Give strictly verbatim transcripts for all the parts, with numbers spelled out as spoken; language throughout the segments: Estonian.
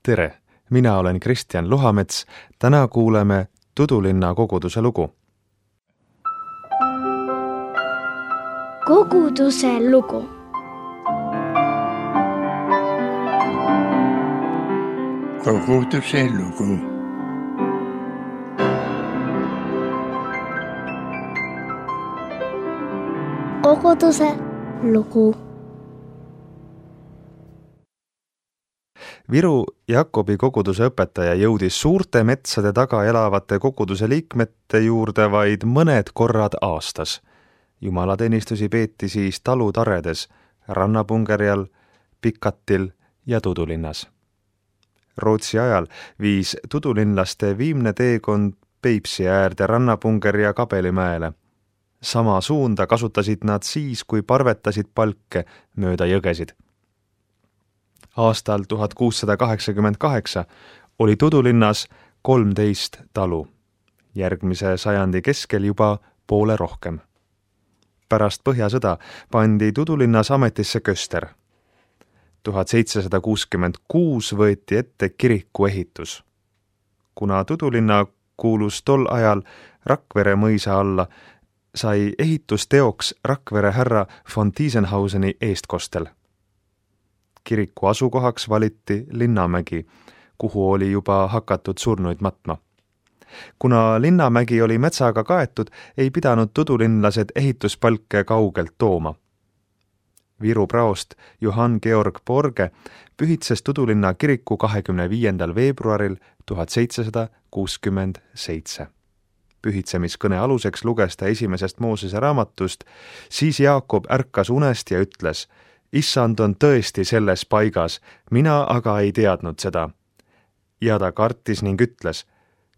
Tere, mina olen Kristjan Luhamets. Täna kuuleme Tudulinna koguduse lugu. Koguduse lugu. Koguduse lugu. Koguduse lugu. Viru Jakobi koguduse õpetaja jõudis suurte metsade taga elavate koguduse liikmete juurde vaid mõned korrad aastas. Jumalateenistusi peeti siis talutaredes, Rannapungerjal, Pikatil ja Tudulinnas. Rootsi ajal viis tudulinlaste viimne teekond Peipsi äärde Rannapungerja Kabelimäele. Sama suunda kasutasid nad siis, kui parvetasid palke mööda jõgesid. Aastal tuhat kuussada kaheksakümmend kaheksa oli Tudulinnas kolmteist talu, järgmise sajandi keskel juba poole rohkem. Pärast Põhjasõda pandi Tudulinnas ametisse köster. tuhat seitsesada kuuskümmend kuus võeti ette kiriku ehitus. Kuna Tudulinna kuulus tol ajal Rakvere mõisa alla, sai ehitusteoks Rakvere härra von Tiesenhauseni eestkostel. Kiriku asukohaks valiti Linnamägi, kuhu oli juba hakatud surnuid matma. Kuna Linnamägi oli metsaga kaetud, ei pidanud tudulinlased ehituspalke kaugelt tooma. Viru praost Johann Georg Borge pühitses Tudulinna kiriku kahekümne viiendal veebruaril tuhat seitsesada kuuskümmend seitse. Pühitsemiskõne aluseks luges ta esimesest Moosese raamatust, siis Jaakob ärkas unest ja ütles: Issand on tõesti selles paigas, mina aga ei teadnud seda. Ja ta kartis ning ütles: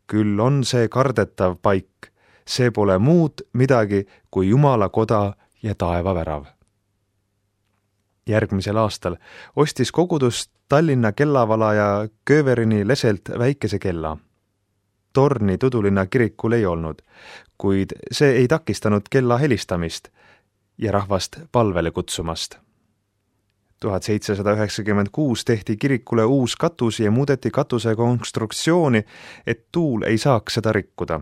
küll on see kardetav paik, see pole muud midagi kui Jumala koda ja taevavärav. Järgmisel aastal ostis kogudus Tallinna kellavalaja Kööverini leselt väikese kella. Torni Tudulinna kirikul ei olnud, kuid see ei takistanud kella helistamist ja rahvast palvele kutsumast. tuhat seitsesada üheksakümmend kuus tehti kirikule uus katus ja muudeti katuse konstruktsiooni, et tuul ei saaks seda rikkuda.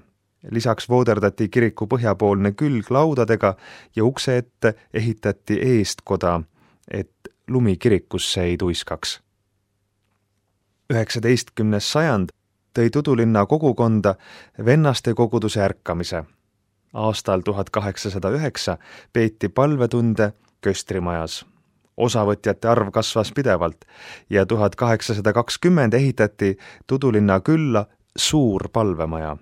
Lisaks vooderdati kiriku põhjapoolne külg laudadega ja ukse ette ehitati eestkoda, et lumi kirikusse ei tuiskaks. üheksateistkümnes sajand tõi Tudulinna kogukonda vennaste koguduse ärkamise. Aastal tuhat kaheksasada üheksa peeti palvetunde köstrimajas. Osavõtjate arv kasvas pidevalt ja tuhat kaheksasada kakskümmend ehitati Tudulinna külla suur palvemaja.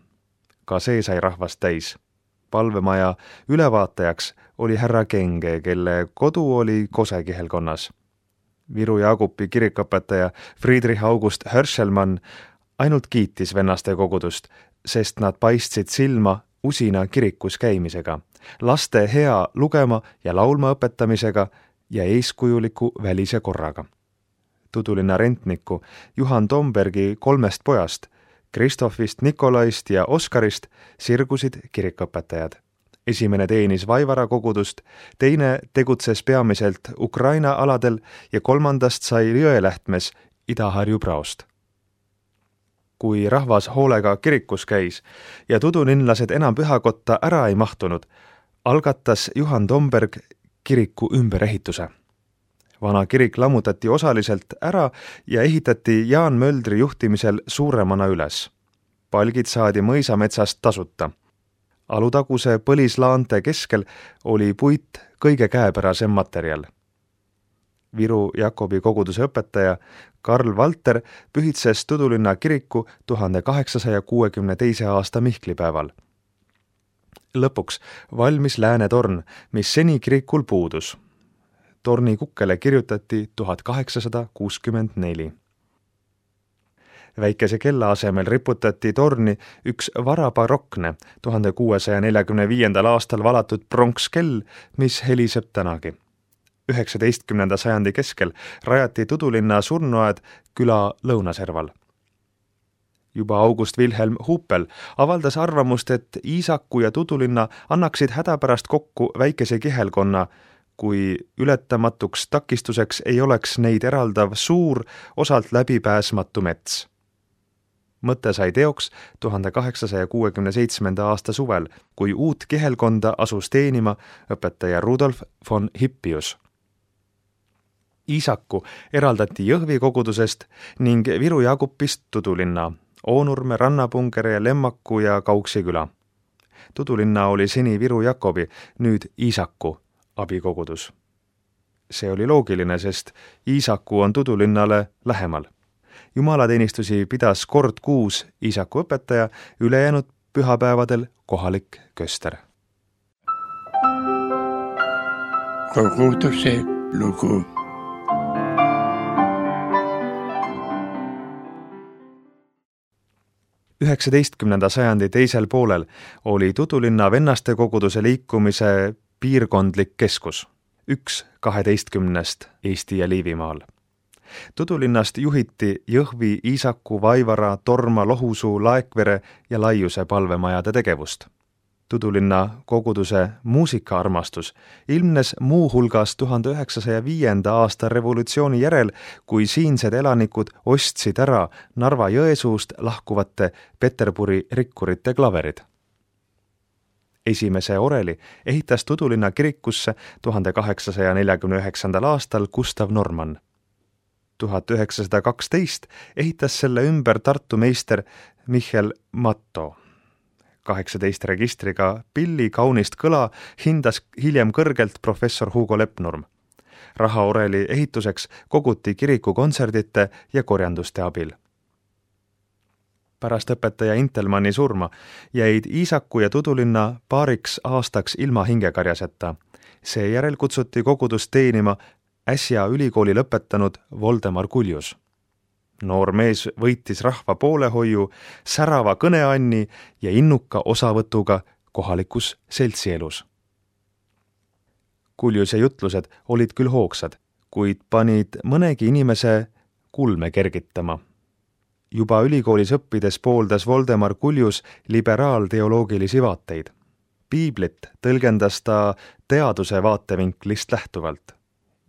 Ka see sai rahvast täis. Palvemaja ülevaatajaks oli härra Kenge, kelle kodu oli Kosekihelkonnas. Viru Jaakobi kirikõpetaja Friedrich August Hörschelmann ainult kiitis vennaste kogudust, sest nad paistsid silma usina kirikus käimisega, laste hea lugema ja laulma õpetamisega ja eeskujuliku välise korraga. Tudulinna rentniku Juhan Tombergi kolmest pojast, Kristofist, Nikolaist ja Oskarist sirgusid kirikõpetajad. Esimene teenis Vaivara kogudust, teine tegutses peamiselt Ukraina aladel ja kolmandast sai Jõelähtmes Ida-Harju praost. Kui rahvas hoolega kirikus käis ja tudulinlased enam pühakotta ära ei mahtunud, algatas Juhan Tomberg kiriku ümberehituse. Vana kirik lammutati osaliselt ära ja ehitati Jaan Möldri juhtimisel suuremana üles. Palgid saadi mõisametsast tasuta. Alutaguse põlislaante keskel oli puit kõige käepärasem materjal. Viru Jakobi koguduse õpetaja Karl Valter pühitses Tudulinna kiriku tuhande kaheksasaja kuuekümne teise aasta Mihklipäeval. Lõpuks valmis läänetorn, mis seni kirikul puudus. Torni kukkele kirjutati tuhat kaheksasada kuuskümmend neli. Väikese kella asemel riputati torni üks varabarokne tuhande kuuesaja neljakümne viiendal aastal valatud pronkskell, mis heliseb tänagi. üheksateistkümnenda sajandi keskel rajati Tudulinna surnuaed küla lõunaserval. Juba August Wilhelm Huppel avaldas arvamust, et Iisaku ja Tudulinna annaksid hädapärast kokku väikese kihelkonna, kui ületamatuks takistuseks ei oleks neid eraldav suur, osalt läbipääsmatu mets. Mõte sai teoks tuhande kaheksasaja kuuekümne seitsmenda aasta suvel, kui uut kihelkonda asus teenima õpetaja Rudolf von Hippius. Iisaku eraldati Jõhvi kogudusest ning Viru Jaagupist Tudulinna, Oonurme, Rannapungere ja Lemmaku ja Kauksi küla. Tudulinna oli seni Viru Jakobi, nüüd Iisaku abikogudus. See oli loogiline, sest Iisaku on Tudulinnale lähemal. Jumalateenistusi pidas kord kuus Iisaku õpetaja, ülejäänud pühapäevadel kohalik köster. Koguduse lugu. üheksateistkümnenda sajandi teisel poolel oli Tudulinna vennaste koguduse liikumise piirkondlik keskus, üks kaheteistkümnest Eesti ja Liivimaal. Tudulinnast juhiti Jõhvi, Iisaku, Vaivara, Torma, Lohusuu, Laekvere ja Laiuse palvemajade tegevust. Tudulinna koguduse muusikaarmastus ilmnes muu hulgas tuhande üheksasaja viienda aasta revolutsiooni järel, kui siinsed elanikud ostsid ära Narva Jõesuust lahkuvate Peterburi rikkurite klaverid. Esimese oreli ehitas Tudulinna kirikusse tuhande kaheksasaja neljakümne üheksandal aastal Gustav Norman. tuhat üheksasada kaksteist ehitas selle ümber Tartu meister Michel Matto. kaheksateist registriga pilli kaunist kõla hindas hiljem kõrgelt professor Hugo Lepnurm. Rahaoreli ehituseks koguti kiriku kontserdite ja korjanduste abil. Pärast õpetaja Intelmanni surma jäid Iisaku ja Tudulinna paariks aastaks ilma hingekarjaseta. Seejärel kutsuti kogudust teenima äsja ülikooli lõpetanud Voldemar Kuljus. Noor mees võitis rahva poolehoiu, särava kõneanni ja innuka osavõtuga kohalikus seltsielus. Kuljuse jutlused olid küll hoogsad, kuid panid mõnegi inimese kulme kergitama. Juba ülikoolis õppides pooldas Voldemar Kuljus liberaalteoloogilisi vaateid. Piiblit tõlgendas ta teaduse vaatevinklist lähtuvalt.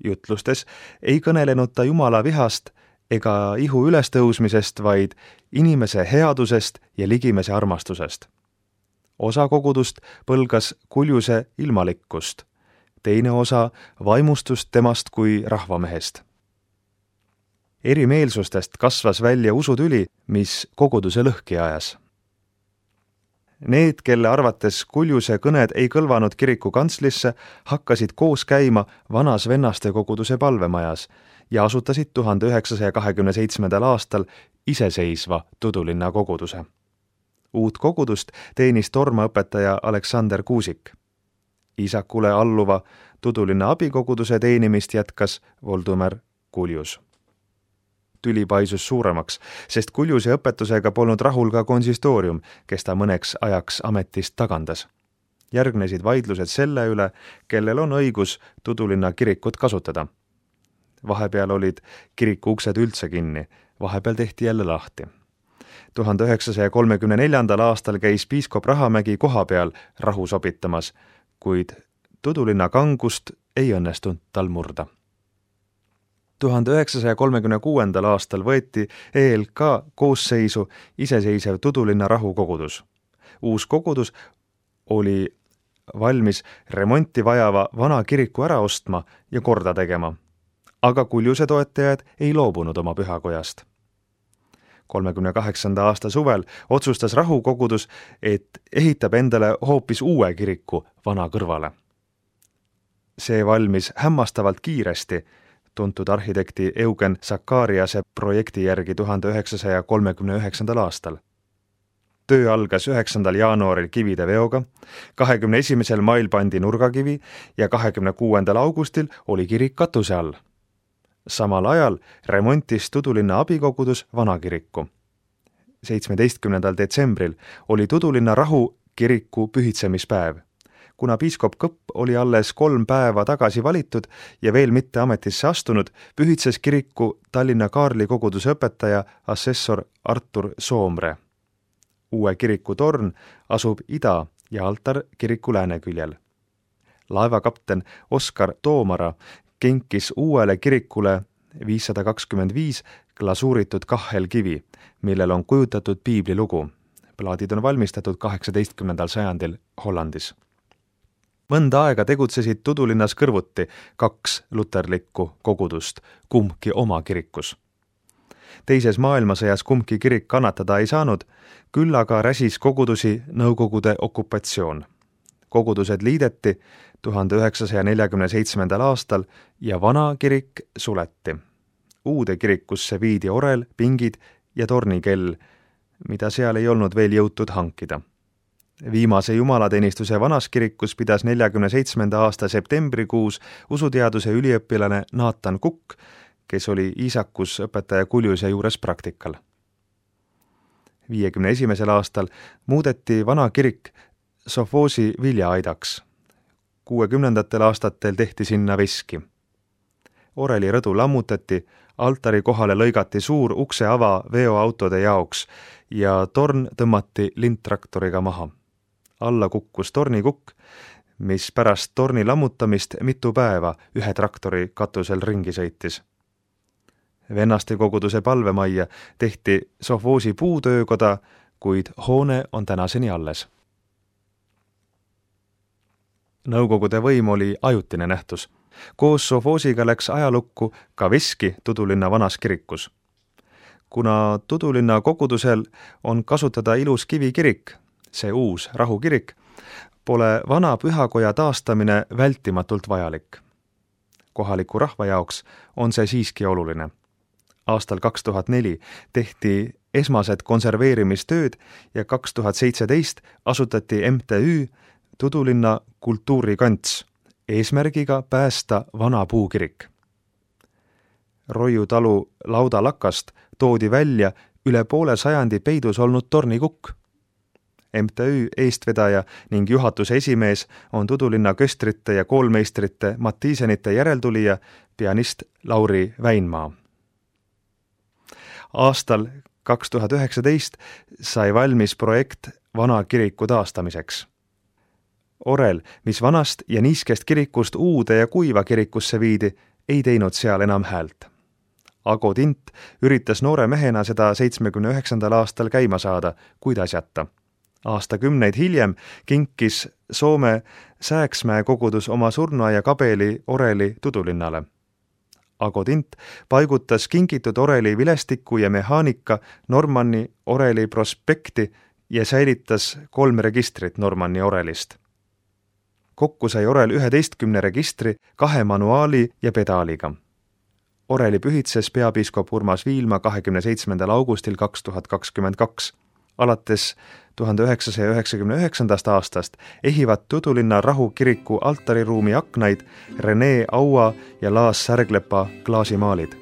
Jutlustes ei kõnelenud ta Jumala vihast ega ihu ülestõusmisest, vaid inimese headusest ja ligimese armastusest. Osa kogudust põlgas Kuljuse ilmalikkust, teine osa vaimustust temast kui rahvamehest. Erimeelsustest kasvas välja usutüli, mis koguduse lõhki ajas. Need, kelle arvates Kuljuse kõned ei kõlvanud kiriku kantslisse, hakkasid koos käima vanas vennaste koguduse palvemajas ja asutasid tuhande üheksasaja kahekümne seitsmendal aastal iseseisva Tudulinna koguduse. Uut kogudust teenis Torma õpetaja Aleksander Kuusik. Iisakule alluva Tudulinna abikoguduse teenimist jätkas Voldemar Kuljus. Tüli paisus suuremaks, sest Kuljuse õpetusega polnud rahul ka konsistoorium, kes ta mõneks ajaks ametist tagandas. Järgnesid vaidlused selle üle, kellel on õigus Tudulinna kirikut kasutada. Vahepeal olid kiriku uksed üldse kinni, vahepeal tehti jälle lahti. tuhande üheksasaja kolmekümne neljandal aastal käis piiskop Rahamägi koha peal rahu sobitamas, kuid Tudulinna kangust ei õnnestunud tal murda. tuhande üheksasaja kolmekümne kuuendal aastal võeti E L K koosseisu iseseisev Tudulinna rahukogudus. Uus kogudus oli valmis remonti vajava vana kiriku ära ostma ja korda tegema, aga Kuljuse toetajad ei loobunud oma pühakojast. kolmekümne kaheksanda aasta suvel otsustas rahukogudus, et ehitab endale hoopis uue kiriku vana kõrvale. See valmis hämmastavalt kiiresti, tuntud arhitekti Eugen Sakariase projekti järgi tuhande üheksasaja kolmekümne üheksandal aastal. Töö algas üheksandal jaanuaril kivide veoga, kahekümne esimesel mail pandi nurgakivi ja kahekümne kuuendal augustil oli kirik katuse all. Samal ajal remontis Tudulinna abikogudus vanakiriku. seitsmeteistkümnendal detsembril oli Tudulinna rahu kiriku pühitsemispäev. Kuna piiskop Kõpp oli alles kolm päeva tagasi valitud ja veel mitte ametisse astunud, pühitses kiriku Tallinna Kaarli koguduse õpetaja assessor Artur Soomre. Uue kiriku torn asub ida ja altar kiriku lääneküljel. Laevakapten Oskar Toomara kinkis uuele kirikule viissada kakskümmend viis glasuuritud kahelkivi, millel on kujutatud piibli lugu. Plaadid on valmistatud kaheksateistkümnendal sajandil Hollandis. Mõnda aega tegutsesid Tudulinnas kõrvuti kaks luterlikku kogudust, kumbki oma kirikus. Teises maailmasõjas kumbki kirik kannatada ei saanud, küll aga räsis kogudusi Nõukogude okupatsioon. Kogudused liideti tuhande üheksasaja neljakümne seitsmendal aastal ja vana kirik suleti. Uude kirikusse viidi orel, pingid ja tornikell, mida seal ei olnud veel jõutud hankida. Viimase jumalateenistuse vanas kirikus pidas neljakümne seitsmenda aasta septembrikuus usuteaduse üliõpilane Naatan Kukk, kes oli Iisakus õpetaja Kuljuse juures praktikal. viiekümne esimesel aastal muudeti vana kirik Sofoosi viljaaidaks. kuuekümnendatel aastatel tehti sinna veski. Oreli rõdu lammutati, altari kohale lõigati suur ukseava veoautode jaoks ja torn tõmmati lindtraktoriga maha. Alla kukkus tornikukk, mis pärast torni lammutamist mitu päeva ühe traktori katusel ringi sõitis. Vennaste koguduse palvemajja tehti Sofoosi puutöökoda, kuid hoone on tänaseni alles. Nõukogude võim oli ajutine nähtus. Koos Sofoosiga läks ajalukku ka veski Tudulinna vanas kirikus. Kuna Tudulinna kogudusel on kasutada ilus kivikirik, see uus rahukirik, pole vana pühakoja taastamine vältimatult vajalik. Kohaliku rahva jaoks on see siiski oluline. Aastal kaks tuhat neli tehti esmased konserveerimistööd ja kaks tuhat seitseteist asutati M T Ü Tudulinna kultuurikants eesmärgiga päästa vana puukirik. Roiu talu laudalakast toodi välja üle poole sajandi peidus olnud tornikukk. M T Ü eestvedaja ning juhatuse esimees on Tudulinna köstrite ja koolmeistrite Mattiisenite järeltulija pianist Lauri Väinmaa. Aastal kaks tuhat üheksateist sai valmis projekt vana kiriku taastamiseks. Orel, mis vanast ja niiskest kirikust uude ja kuiva kirikusse viidi, ei teinud seal enam häält. Ago Tint üritas noore mehena seda seitsmekümne üheksandal aastal käima saada, kuid asjata. Aastakümneid hiljem kinkis Soome Sääksmäe kogudus oma surnuaia kabeli oreli Tudulinnale. Ago Tint paigutas kingitud oreli vilestiku ja mehaanika Normanni oreli prospekti ja säilitas kolm registrit Normanni orelist. Kokku sai orel üheteistkümne registri, kahe manuaali ja pedaaliga. Oreli pühitses peapiiskop Urmas Viilma kahekümne seitsmendal augustil kaks tuhat kakskümmend kaks. Alates tuhande üheksasaja üheksakümne üheksandast aastast ehivad Tudulinna rahukiriku altariruumi aknaid Rene Aua ja Laas Särglepa klaasimaalid.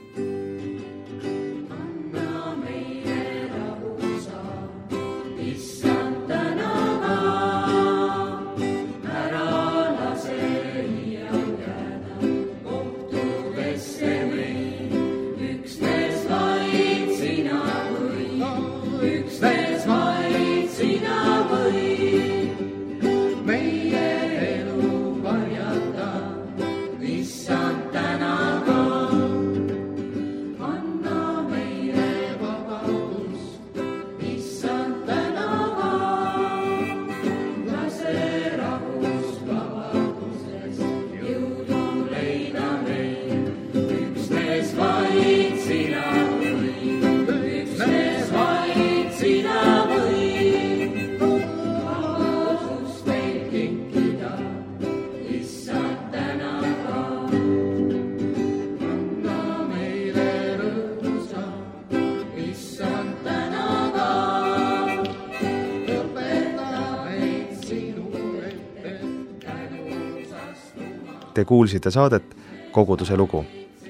Te kuulsite saadet Koguduse lugu.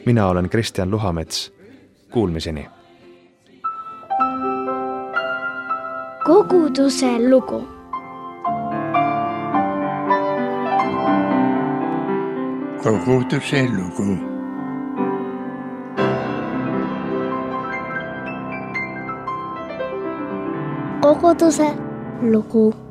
Mina olen Kristjan Luhamets. Kuulmiseni. Koguduse lugu. Koguduse lugu. Koguduse lugu.